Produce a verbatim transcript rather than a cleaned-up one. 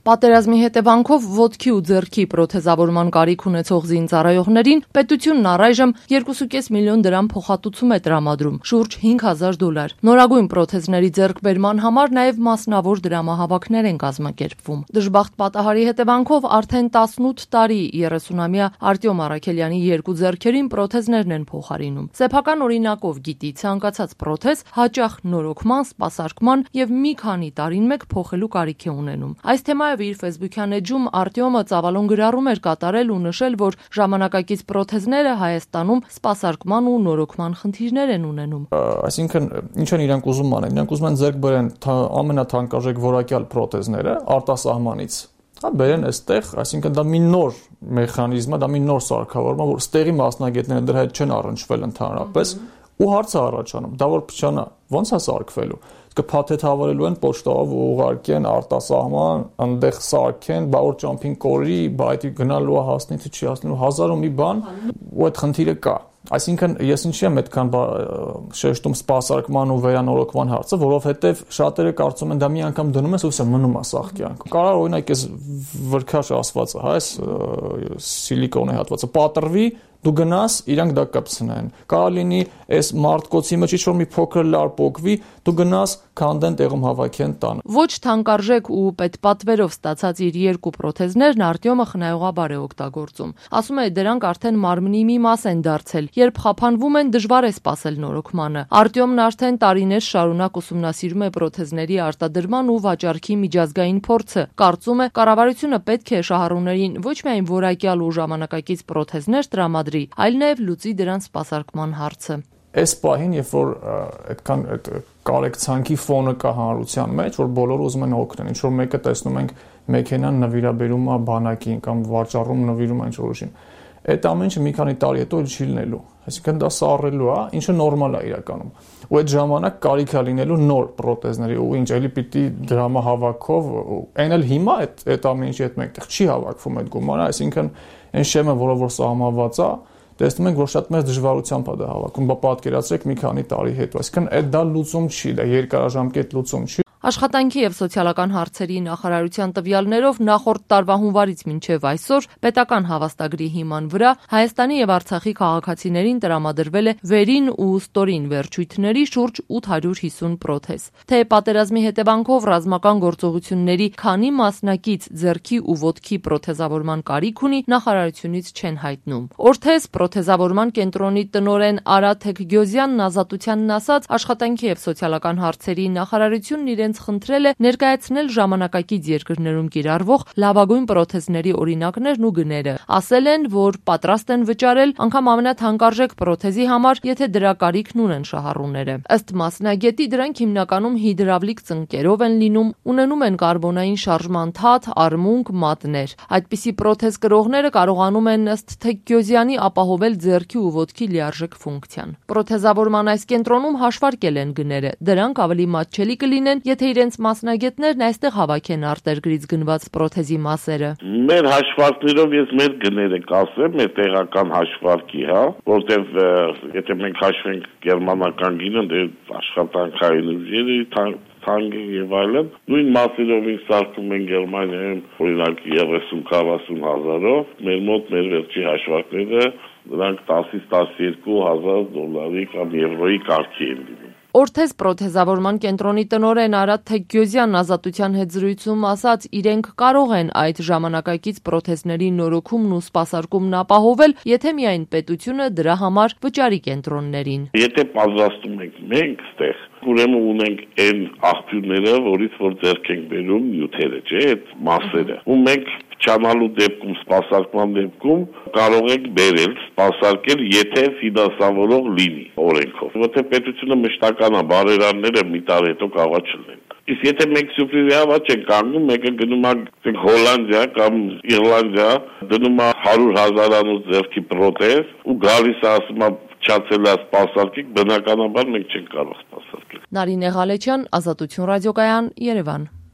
Պատերազմի հետևանքով ոտքի ու ձեռքի պրոթեզավորման կարիք ունեցող զինծառայողներին պետությունն առայժմ երկու կես միլիոն դրամ փոխհատուցում է տրամադրում, շուրջ հինգ հազար դոլար։ Նորագույն պրոթեզների ձեռքբերման համար նաև մասնավոր դրամահավաքներ են կազմակերպվում։ Դժբախտ պատահարի հետևանքով արդեն տասնութ տարի երեսունամյա Արտյոմ Առաքելյանի երկու ձեռքերին պրոթեզներն են փոխարինում։ Սեփական օրինակով գիտի ցանկացած պրոթեզ հաճախ նորոգման, սպասարկման եւ մի քանի տարին մեկ փոխելու կարիք է ունենում։ Այս թեմայով իր ֆեյսբուքյան էջում Արտյոմը ծավալուն գրառում էր կատարել ու նշել, որ ժամանակակից պրոթեզները Հայաստանում սպասարկման ու նորոգման խնդիրներ են ունենում։ Այսինքն, ինչ են իրանք ուզում անեն, իրանք ուզում են ձեռք բերեն ամենաթանկարժեք որակյալ պրոթեզները արտասահմանից։ Հա բերեն այստեղ, այսինքն դա մի նոր մեխանիզմ է, դա մի նոր սարքավորում է, որ ստեղի մասնագետները դրա հետ չեն առնչվել ընդհանրապես, ու հարց է առաջանում, դա որ փչանա, ոնց է սարքվելու։ Կփաթեթ հավարելու են պոչտով ուղարկեն արտասահման, այնտեղ սարքեն, բա որ ճամփին կորի, բա այդ գնալու է հասնի թե չի հասնելու, հազար ու մի բան, ու այդ խնդիրը կա։ Այսինքն ես ինչի եմ այդքան շեշտում սպասարկման ու վերանորոգման հարցը, որովհետև շատերը կարծում են դա մի անգամ դնում ես ու վсё մնում է սաղ կյանքում։ Կարող օրինակ այս վրքաշ ասվածը, հա, այս սիլիկոնի հատվածը պատրվի, դու գնաս, իրանք դա կպցնեն։ Կարող լինի այս մարտկոցի մեջ ինչ-որ մի փոքր լար պոկվի, դու գնաս, քանդեն, տեղում հավաքեն տան։ Ոչ թանկարժեք ու պետպատվերով ստացած իր երկու պրոթեզներն Արտյոմը խնայողաբար է օգտագործում։ Ասում է, դրանք արդեն մարմնի մի մաս են դարձել, երբ խափանվում են, դժվար է սպասել նորոգմանը։ Արտյոմն արդեն տարիներ շարունակ ուսումնասիրում է պրոթեզների արտադրման ու վաճառքի միջազգային փորձը։ Կարծում է, կառավարությունը պետք է շահառուներին ոչ միայն որակյալ ու ժամանակակից պրոթեզներ տրամադրի, այլ նաև լուծի դրանց սպասարկման հարցը։ Այս պահին, երբ որ այդքան այդ կարեկցանքի ֆոնը կա հանրության մեջ, որ բոլորը ուզում են օգնել, ինչ որ մեկը տեսնում ենք մեքենան նվիրաբերում է բանակին կամ վաճառում նվիրում է ինչ-որ ուժին։ Այդ ամեն ինչը մի քանի տարի հետո չի լինելու։ Այսինքն դա սառելու է, ինչը նորմալ է իրականում։ Ու այդ ժամանակ կարիք է լինելու նոր պրոթեզների, ու ինչ էլի պիտի դրամահավաքով, այն էլ հիմա այդ այդ ամեն ինչի հետ մեկտեղ չի հավաքվում այդ գումարը, այսինքն այն շեմը, որը որ սահմանված է, տեսնում ենք, որ շատ մեծ դժվարությամբ է դա հավաքում, բա պատկերացրեք մի քանի տարի հետո, այսինքն այդ դա լուծում չի, դա երկարաժամկետ լուծում չի։ Աշխատանքի եւ սոցիալական հարցերի նախարարության տվյալներով նախորդ տարվա հունվարից մինչեւ այսօր պետական հավաստագրի հիման վրա Հայաստանի եւ Արցախի քաղաքացիներին տրամադրվել է վերին ու ստորին վերջույթների շուրջ ութ հարյուր հիսուն պրոթեզ։ Թե պատերազմի հետևանքով ռազմական գործողությունների քանի մասնակից ձեռքի ու ոտքի պրոթեզավորման կարիք ունի, նախարարությունից չեն հայտնում։ Օրթես պրոթեզավորման կենտրոնի տնօրեն Արա Թեքգյոզյանն ազատությանն ասաց, աշխատանքի եւ սոցիալական հարցերի նախարարությունն իրենց խնդրել է ներկայացնել ժամանակակից երկրներում կիրառվող լավագույն պրոթեզների օրինակներն ու գները։ Ասել են, որ պատրաստ են վճարել անգամ ամենաթանկարժեք պրոթեզի համար, եթե դրա կարիքն ունեն շահառուները։ Ըստ մասնագետի, դրանք հիմնականում հիդրավլիկ ծնկերով են լինում, ունենում են կարբոնային շարժման թաթ, արմունկ, մատներ։ Այդպիսի պրոթեզ կրողները կարողանում են ըստ Թեքգյոզյանի ապահովել ձեռքի ու ոտքի լիարժեք ֆունկցիան։ Պրոթեզավորման այս կենտրոնում հաշվարկել են գները։ Դրանք ավելի մատչելի կլինեն, եթե իրենց մասնագետներն այստեղ հավաքեն արտերկրից գնված պրոթեզի մասերը։ Մեր հաշվարկներով ես մեր գները կասեմ, մեր տեղական հաշվարկի, հա, որտեվ եթե մենք հաշվենք գերմանական գինը, դե աշխատանքային ուժերը թանկ եւ այլն, նույն մասերով ինձ սարքում են Գերմանիայում, օրինակ երեսուն քառասուն հազարով, մեր մոտ մեր վերջի հաշվարկները դրանք տասից տասներկու հազար դոլարի կամ եվրոյի կարգի են լինում։ Օրթես պրոթեզավորման կենտրոնի տնօրեն Արա Թեքգյոզյանն ազատության հետ զրույցում ասաց, իրենք կարող են այդ ժամանակակից պրոթեզների նորոգումն ու սպասարկումն ապահովել, եթե միայն պետությունը դրա համար վճարի կենտրոններին։ Եթե պատրաստում ենք մենք ստեղ, ուրեմն ունենք այն աղբյուրները, որից որ ձեռք ենք բերում նյութերը, չէ՞, այդ մասերը։ Ու մենք չանալու դեպքում, սպասարկման դեպքում կարող եք բերել, սպասարկել, եթե ֆինանսավորող լինի օրենքով։ Որտեղ պետությունը մշտական է, բարերարները մի տարի հետո կարող է չլինեն։ Իսկ եթե մենք սուպրիզի հավաք չենք կանգնում, մեկը գնում է Հոլանդիա կամ Իռլանդիա, դնում է հարյուր հազարանոց ձեռքի պրոթեզ ու գալիս է ասում է չացել է սպասարկիկ, բնականաբար մենք չենք կարող սպասարկել։ Նարինե Ղալեչյան, Ազատություն ռադիոկայան, Երևան։